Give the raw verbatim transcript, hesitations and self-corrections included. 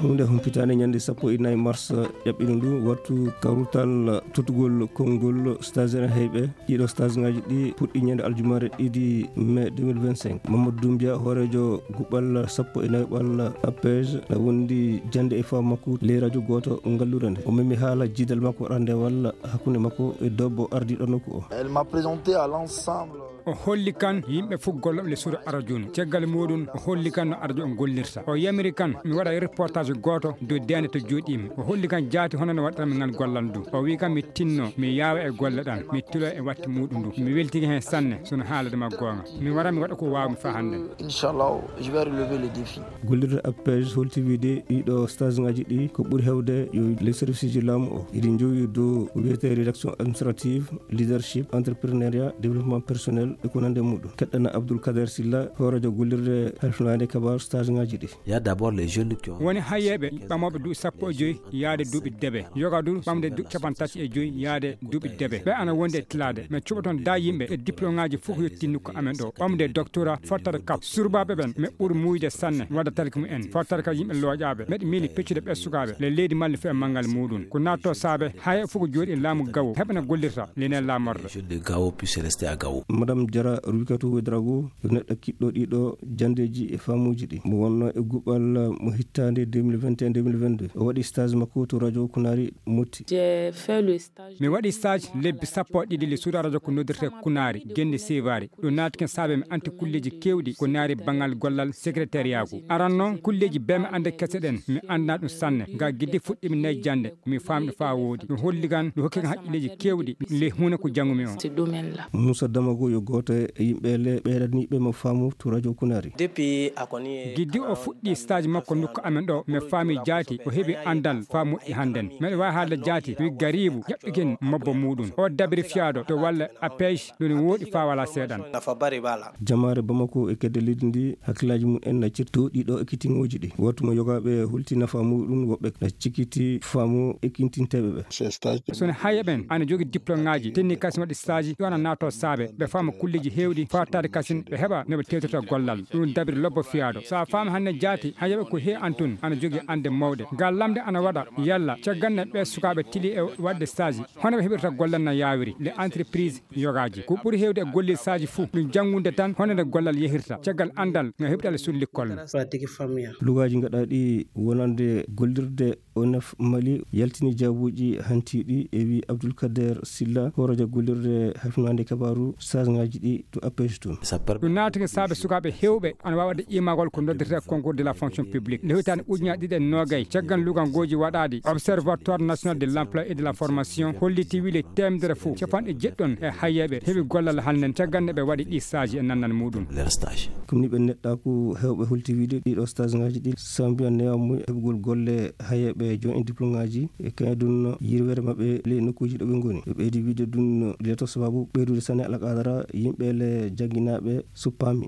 Huunde humpitaande ñande sappo e nayi mars ƴaɓɓino ndu wattu kawrutal totugol konngol stagiaire heyɓe. Ɗiɗo stagiaire ngaji ɗi puɗɗi ñande aljumare ɗiɗi mai deux mille vingt-cinq. Mamadou Doumbia, hooreejo guɓɓal sappo e nayi ɓal appege, na wondi jande e faamu makko ley radio gooto ngallure nde. O memi haala jiidal makko randewal hakkunde makko e debbo ardiiɗo nokku o. Elle m'a présenté à l'ensemble. O holli kan yimɓe fof gollooɓe le suudu arajo ndu. Caggal muɗum o holli kan no arajo on gollirta. O yamiri kan mi waɗa reportage gooto dow deende to jooɗiimi. O holli kan jaati hono no waɗiranmi ngal gollal ndu. O wi kan mi tinno, mi yaawa e golle ɗan, mi tilo e watti muɗum ndu. Mi weltike hen sanne, sono haalade ma goonga. Mi wara mi waɗa ko waawmi faa hannden. Inchallah, je vais relever le défi. Gollirde appege holti wiide ɗiɗo stage ngaji ɗi ko ɓuri hewde yo les service ji laamu o. Iɗi njowi dow ko wiyetee rédaction administrative, leadership, entrepreneuriat, développement personnel e ko nande muɗum. Keɗɗana Abdoul Kader Silla, hooreejo gollirde halfinaande kabaaru stage ngaji ɗi. Il y a d'abord les jeunes qui ont Woni hayeeɓe ɓamooɓe duuɓi sappo e joyi yaade duuɓi debe. Yoga du ɓamde du capanɗe tati e joyi yaade duuɓi debe. Ɓe ana wonde e tilaade. Mais cuɓaton da yimɓe e diplôme ngaji fof yettindu ko amen ɗo. Ɓamde doctorat, fottata kap. Surbaaɓe ɓen, mais ɓuri muuyde sanne, wadda talki mu en. Fottata ka yimɓe looƴaaɓe. Meɗe miili peccude ɓe sukaaɓe. Le leydi malli fof e manngal muɗum. Ko naatto saabe, haya fof ko jooɗi laamu gawo. Heɓana gollirta, lene laamorde. Les jeunes de Gao puissent rester à Gao. Madame Diarra Rubikatou Ouedraogo, ko neɗɗo kiɗɗo ɗiɗo jandeeji e faamuuji ɗi. Mo wonno e guɓal mo hittaande deux mille vingt et un deux mille vingt-deux. O waɗi stage makko to radio Kunaari Motti. J'ai fait le stage. Mi waɗi stage lebbi sappo e ɗiɗi le suudu radio ko noddirte Kunaari, Gende Seevaari. Ɗum naati ken saabe mi anti kulleeji keewɗi ko naari banngal gollal secrétariat ko. Aran noon kulleeji bee mi annde kese ɗen, mi anndaa ɗum sanne. Ngaa gidde fuɗɗimi nayi jannde, mi faami ɗum faa woodi. Ɗum holli kan, ɗum hokki kan haqqilleeji keewɗi, le huune ko janngumi o. Ce domaine-là. Moussa Damago yo gooto e yimɓe le ɓeydaniiɓe mo faamu to radio Kunaari. Depuis a koni Giddi o fuɗɗi stage makko nokku amen ɗo, mi faami jaati, o heɓi anndal faa moƴƴi hannden. Meɗe waawi haalde jaati, wi Gariibu, ƴaɓɓiken mobbo muɗum. O dabiri fiyaaɗo to walla appege, ɗum wooɗi faa walaa seeɗan. Nafa bari bala. Jamaare Bamako e kedde leydi ndi, hakkillaaji mum en na cirti dow ɗiɗo ekkitingooji ɗi. Wattu mo yogaaɓe hulti nafa muɗum, woɓɓe na cikkiti faamu ekkintinteeɓe ɓe. Sono hayeɓen ana jogi diplôme ngaji, tenni kasin waɗi stage, ɗo ana naato saabe, ɓe faama kulleji heewɗi, faataade kasin, ɓe heɓa no ɓe tewtirta gollal. Ɗum dabiri lobbo fiyaaɗo. So a faami hannde jaati, hayeɓe ko he an tun, ana jogi annde mawɗe. Ngal lamde ana waɗa, yalla, caggal nde ɓe sukaaɓe tili e waɗde stage, hono ɓe heɓirta gollal na yaawiri, le entreprise yogaaji. Ko ɓuri heewde e gollirde stage fuu, ɗum janngude tan, hono nde gollal yehirta, caggal anndal nga heɓta le sur l'école. Pratique familiale. Lugaaji gaɗaaɗi wonande gollirde O N F Mali yaltini jaabuuji hantiiɗi e wi Abdoul Kader Silla, hooreejo gollirde halfinaande kabaaru stage ngaji ɗi to appege tun. Ɗum naatike saabe sukaaɓe heewɓe ana waawi waɗde ƴimaagol ko noddirta concours de la fonction publique. Nde hitaande ujunaaji ɗiɗi e noogay, caggal lugangooji waɗaaɗi, Observatoire National de l'Emploi et de la Formation holliti wile teemedere fof, capanɗe jeɗɗon e hayeeɓe heɓi gollal hannden caggal nde ɓe waɗi ɗi stage e nannal muɗum. Leur stage. Comme ni ɓe neɗɗaaku heewɓe holti wiide ɗiɗo stage ngaji ɗi sambiyan newa mum heɓugol golle hayeeɓe jon en diplôme ngaji e kañum ɗum yirwere maɓɓe ley nokkuuji ɗo ɓe ngoni. Ɓe ɓeydi wiide ɗum leto sababu ɓeydude sanne alqadara yimɓe le jannginaaɓe suppaami.